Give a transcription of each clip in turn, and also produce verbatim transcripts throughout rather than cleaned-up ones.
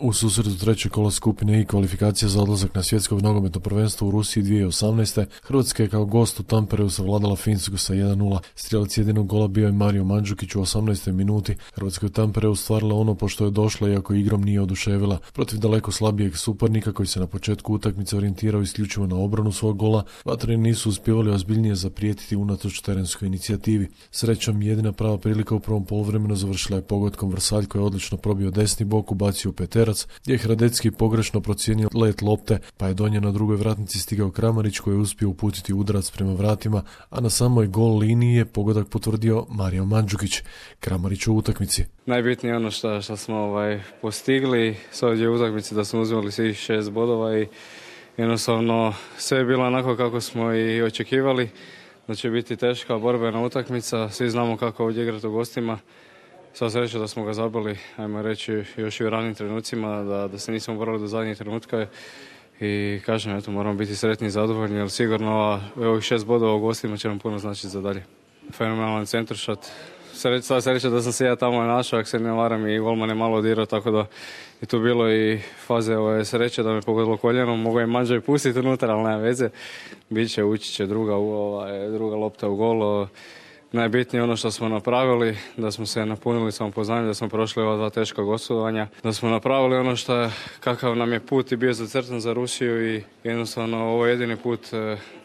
U susretu trećeg kola skupine i kvalifikacija za odlazak na svjetsko nogometno prvenstvo u Rusiji dvije tisuće osamnaeste. Hrvatska je kao gost u Tampereu savladala Finsku sa jedan nula. Strijelac jedinog gola bio je Mario Mandžukić u osamnaestoj minuti. Hrvatska je u Tampereu stvarila ono po što je došla, iako igrom nije oduševila. Protiv daleko slabijeg suparnika koji se na početku utakmice orijentirao isključivo na obranu svog gola, vatreni nisu uspjevali ozbiljnije zaprijetiti unatoč terenskoj inicijativi. Srećom, jedina prava prilika u prvom poluvremenu završila je pogodkom Vrsalj koji je odlično probio desni bok, ubacio u peterac, gdje je Hradecki pogrešno procijenio let lopte, pa je do nje na drugoj vratnici stigao Kramarić koji je uspio uputiti udarac prema vratima, a na samoj gol liniji je pogodak potvrdio Mario Mandžukić. Kramarić u utakmici. Najbitnije ono što, što smo ovaj, postigli s ovdje u utakmici, da smo uzeli svih šest bodova i jednostavno sve je bilo onako kako smo i očekivali, da će biti teška borbena utakmica. Svi znamo kako ovdje igrati u gostima. Sva sreća da smo ga zabili, ajmo reći, još i u ranim trenucima, da, da se nismo borili do zadnjih trenutka. I kažem, eto, moramo biti sretni i zadovoljni, jer sigurno ovih šest bodova u gostima će nam puno značiti za dalje. Fenomenalan centaršat. Sva sreća da sam se ja tamo našao, ako se ne varam, i golman je malo odirao, tako da je tu bilo i faze ove sreće da me pogodilo koljenom. Mogu je Mandža i pustiti unutra, ali nema veze. Biće, ući će druga, ovaj, druga lopta u gol. Najbitnije ono što smo napravili, da smo se napunili samopoznanjem, da smo prošli ova dva teška gostovanja, da smo napravili ono što je, kakav nam je put i bio zacrtan za Rusiju i jednostavno ovo je jedini put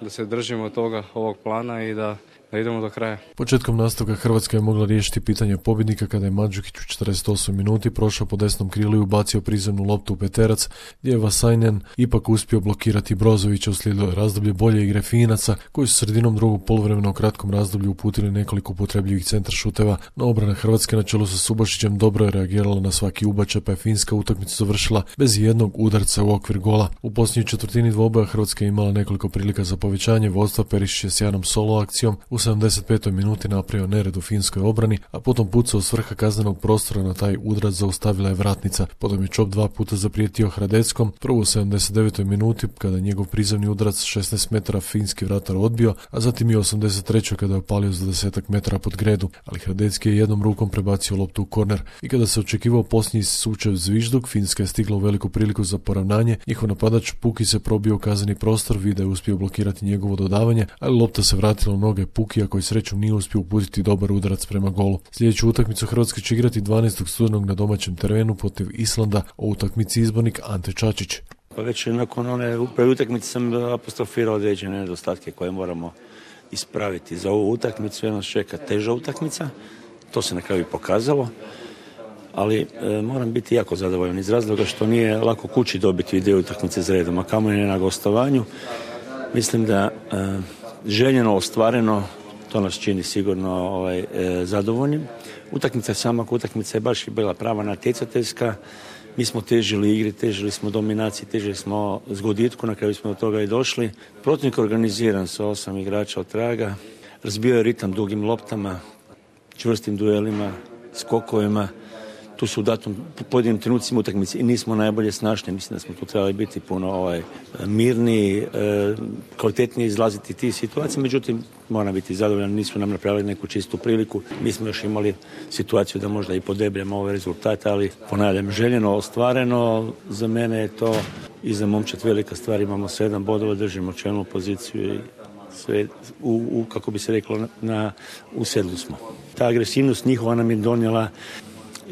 da se držimo toga, ovog plana i da da idemo do kraja. Početkom nastavka Hrvatska je mogla riješiti pitanje pobjednika kada je Mandžukić u četrdeset osmoj minuti prošao po desnom krilu i ubacio prizemnu loptu u peterac, gdje je Vasajnen ipak uspio blokirati Brozovića. Uslijedilo je razdoblje bolje igre Finaca, koji su sredinom drugog poluvremena u kratkom razdoblju uputili nekoliko upotrebljivih centar šuteva, no obrana Hrvatske na čelu sa Subašićem dobro je reagirala na svaki ubačaj, pa je Finska utakmicu završila bez jednog udarca u okvir gola. U posljednjoj četvrtini dvoboja Hrvatska je imala nekoliko prilika za povećanje vodstva. Perišić je s jednom solo akcijom u sedamdeset petoj minuti napravio nered u finskoj obrani, a potom pucao s vrha kaznenog prostora na taj udarac zaustavila je vratnica. Potom je Čop dva puta zaprijetio Hradeckom, prvo u sedamdeset devetoj minuti kada je njegov prizemni udarac šesnaest metara finski vratar odbio, a zatim i u osamdeset trećoj kada je opalio za desetak metara pod gredu, ali Hradecki je jednom rukom prebacio loptu u korner. I kada se očekivao posljednji sučev zvižduk, Finska je stigla u veliku priliku za poravnanje. Njihov napadač Puki se probio u kazneni prostor, Vida je uspio blokirati njegovo dodavanje, ali lopta se vratila u noge Pukija koji srećom nije uspio uputiti dobar udarac prema golu. Sljedeću utakmicu Hrvatska će igrati dvanaestog studenog na domaćem terenu protiv Islanda, o utakmici izbornik Ante Čačić. Pa već nakon one prve utakmice sam apostrofirao određene nedostatke koje moramo ispraviti. Za ovu utakmicu nas čeka teža utakmica, to se na kraju pokazalo, ali e, moram biti jako zadovoljan iz razloga što nije lako kući dobiti dvije utakmice za redom, a kamoli ne na gostovanju. Mislim da e, željeno, ostvareno, to nas čini sigurno ovaj, e, zadovoljnim. Utakmica sama utakmica je baš bila prava natjecateljska. Mi smo težili igri, težili smo dominaciji, težili smo zgoditku, na kraju smo do toga i došli. Protivnik organiziran sa osam igrača od traga, razbio je ritam dugim loptama, čvrstim duelima, skokovima. Tu su u datom pojedinim trenucima utakmice i nismo najbolje snašni. Mislim da smo tu trebali biti puno ovaj, mirniji, e, kvalitetnije izlaziti tih situacija. Međutim, moram biti zadovoljan, nismo nam napravili neku čistu priliku. Mi smo još imali situaciju da možda i podebljamo ove rezultate, ali ponavljam, željeno, ostvareno. Za mene je to i za momčad velika stvar. Imamo sedam bodova, držimo čelnu poziciju i sve u, u kako bi se reklo, na, u sedlu smo. Ta agresivnost njihova nam je donijela,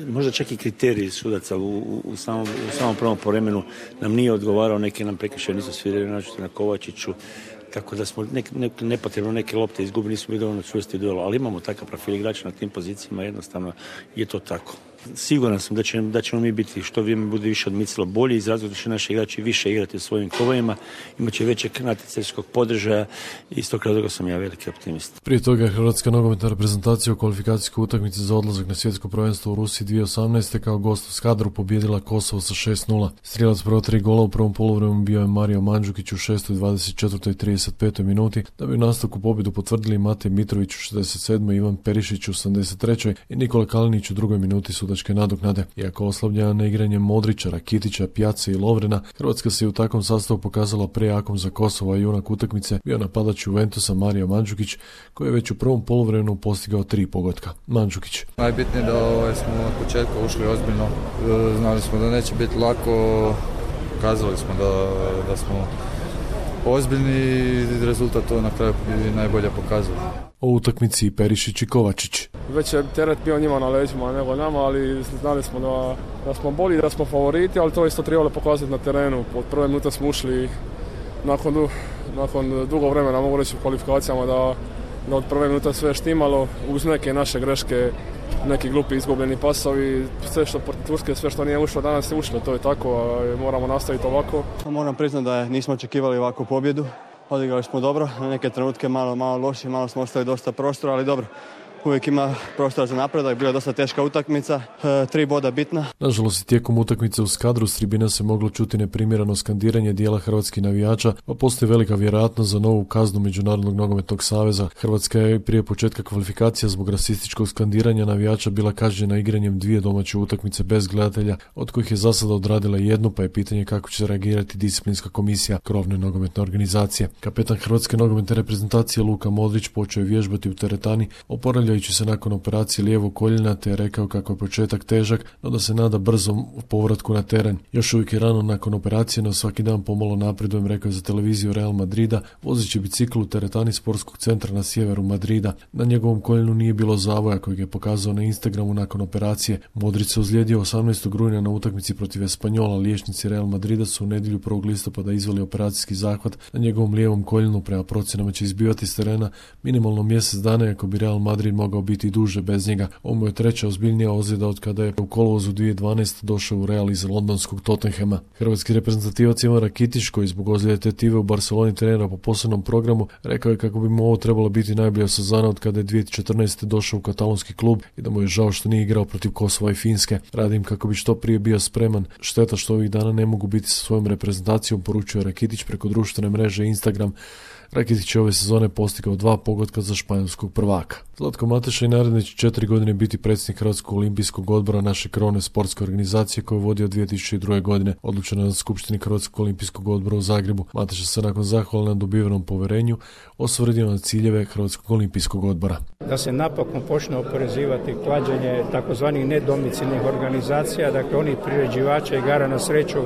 možda čak i kriteriji sudaca u, u, u, samom, u samom prvom poremenu nam nije odgovarao, neki nam prekršaj nisu svirali, naročito na Kovačiću, tako da smo nek, nek, nepotrebno neke lopte izgubili, nismo bili dovoljno čvrsti u duelu, ali imamo takav profil igrača na tim pozicijama, jednostavno je to tako. Siguran sam da, će, da ćemo mi biti, što vrijeme bude više odmicalo, bolji, iz razloga će naši igrači više igrati u svojim kovajima, imat će većeg natjecateljskog podržaja i iz tog razloga sam ja veliki optimist. Prije toga je Hrvatska nogometna reprezentacija u kvalifikacijskoj utakmici za odlazak na svjetsko prvenstvo u Rusiji dvije tisuće osamnaeste kao gost u Skadru pobijedila Kosovo sa šest nula. Strijelac prvo tri gola u prvom poluvremenu bio je Mario Mandžukić u šestoj, dvadeset četvrtoj i trideset petoj minuti, da bi u nastavku pobjedu potvrdili Matej Mitrović u šezdeset sedmoj, Ivan Perišić u sedamdeset trećoj i Nikola Kalinić u drugoj minuti su sudačke nadoknade. Iako oslabljena neigranjem Modrića, Rakitića, Pjace i Lovrena, Hrvatska se u takvom sastavu pokazala prejakom za Kosovo, a junak utakmice bio napadač Juventusa Mario Mandžukić, koji je već u prvom poluvremenu postigao tri pogotka. Mandžukić. Najbitnije da ovaj, smo od početka ušli ozbiljno. Znali smo da neće biti lako, kazali smo da, da smo ozbiljni i rezultat to na kraju bi najbolje pokazao. O utakmici Perišić i Kovačić. Već je teret bio njima na leđima nego nama, ali znali smo da, da smo bolji, da smo favoriti, ali to isto trebalo pokazati na terenu. Od prve minute smo ušli nakon, du, nakon dugo vremena, mogu reći u kvalifikacijama, da, da od prve minute sve štimalo, uz neke naše greške, neki glupi izgubljeni pasovi, sve što protiv Turske, sve što nije ušlo danas je ušlo, to je tako, a moramo nastaviti ovako. Moram priznati da nismo očekivali ovakvu pobjedu, odigrali smo dobro, na neke trenutke malo, malo loši, malo smo ostali dosta prostora, ali dobro. Uvijek ima prostora za napredak, bila je dosta teška utakmica, e, tri boda bitna. Nažalost, tijekom utakmice u Skadru s tribina se moglo čuti neprimjereno skandiranje dijela hrvatskih navijača, pa postoji velika vjerojatnost za novu kaznu Međunarodnog nogometnog saveza. Hrvatska je prije početka kvalifikacija zbog rasističkog skandiranja navijača bila kažnjena igranjem dvije domaće utakmice bez gledatelja, od kojih je za sada odradila jednu, pa je pitanje kako će reagirati disciplinska komisija krovne nogometne organizacije. Kapetan hrvatske nogometne reprezentacije Luka Modrić počeo je vježbati u teretani, oporavljajući se nakon operacije lijevog koljena, te je rekao kako je početak težak, no da se nada brzom povratku na teren. Još uvijek je rano nakon operacije, no svaki dan pomalo napredujem, rekao je za televiziju Real Madrida, vozeći bicikl u teretani sportskog centra na sjeveru Madrida. Na njegovom koljenu nije bilo zavoja kojeg je pokazao na Instagramu nakon operacije. Modrić se ozlijedio osamnaestog rujna na utakmici protiv Espanjola. Liječnici Real Madrida su u nedjelju prvog listopada izveli operacijski zahvat na njegovom lijevom koljenu. Prema procjenama će izbivati s terena minimalno mjesec dana, ako bi Real Madrid mogao biti duže bez njega. Ovo mu je treća ozbiljnija ozljeda od kada je u kolovozu dvije tisuće dvanaeste. došao u Real iz londonskog Tottenhama. Hrvatski reprezentativac Ivan Rakitić, koji zbog ozljede tetive u Barceloni trenira po posebnom programu, rekao je kako bi mu ovo trebalo biti najbolja sezona od kada je dvije tisuće četrnaeste. došao u katalonski klub i da mu je žao što nije igrao protiv Kosova i Finske. Radim kako bi što prije bio spreman. Šteta što ovih dana ne mogu biti sa svojom reprezentacijom, poručuje Rakitić preko društvene mreže Instagram. Rakitić je ove sezone postigao dva pogotka za španjolskog prvaka. Zlatko Mateša i naredne će četiri godine biti predsjednik Hrvatskog olimpijskog odbora, naše krovne sportske organizacije koju vodi od dvije tisuće druge. godine. Odlučeno je na skupštini Hrvatskog olimpijskog odbora u Zagrebu. Mateša se nakon zahvala na dobivenom poverenju osvrdio na ciljeve Hrvatskog olimpijskog odbora. Da se napokon počne oporezivati klađenje takozvanih nedomicilnih organizacija, dakle onih priređivača igara na sreću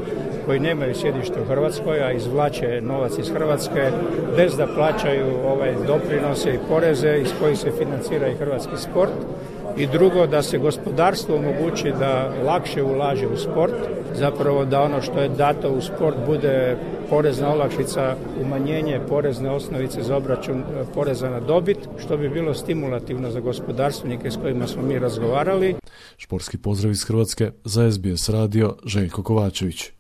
koji nemaju sjedište u Hrvatskoj, a izvlače novac iz Hrvatske bez da plaćaju ovaj doprinose i poreze iz kojih se financira i hrvatski sport. I drugo, da se gospodarstvo omogući da lakše ulaže u sport, zapravo da ono što je dato u sport bude porezna olakšica, umanjenje porezne osnovice za obračun poreza na dobit, što bi bilo stimulativno za gospodarstvenike s kojima smo mi razgovarali. Športski pozdrav iz Hrvatske za S B S radio, Željko Kovačević.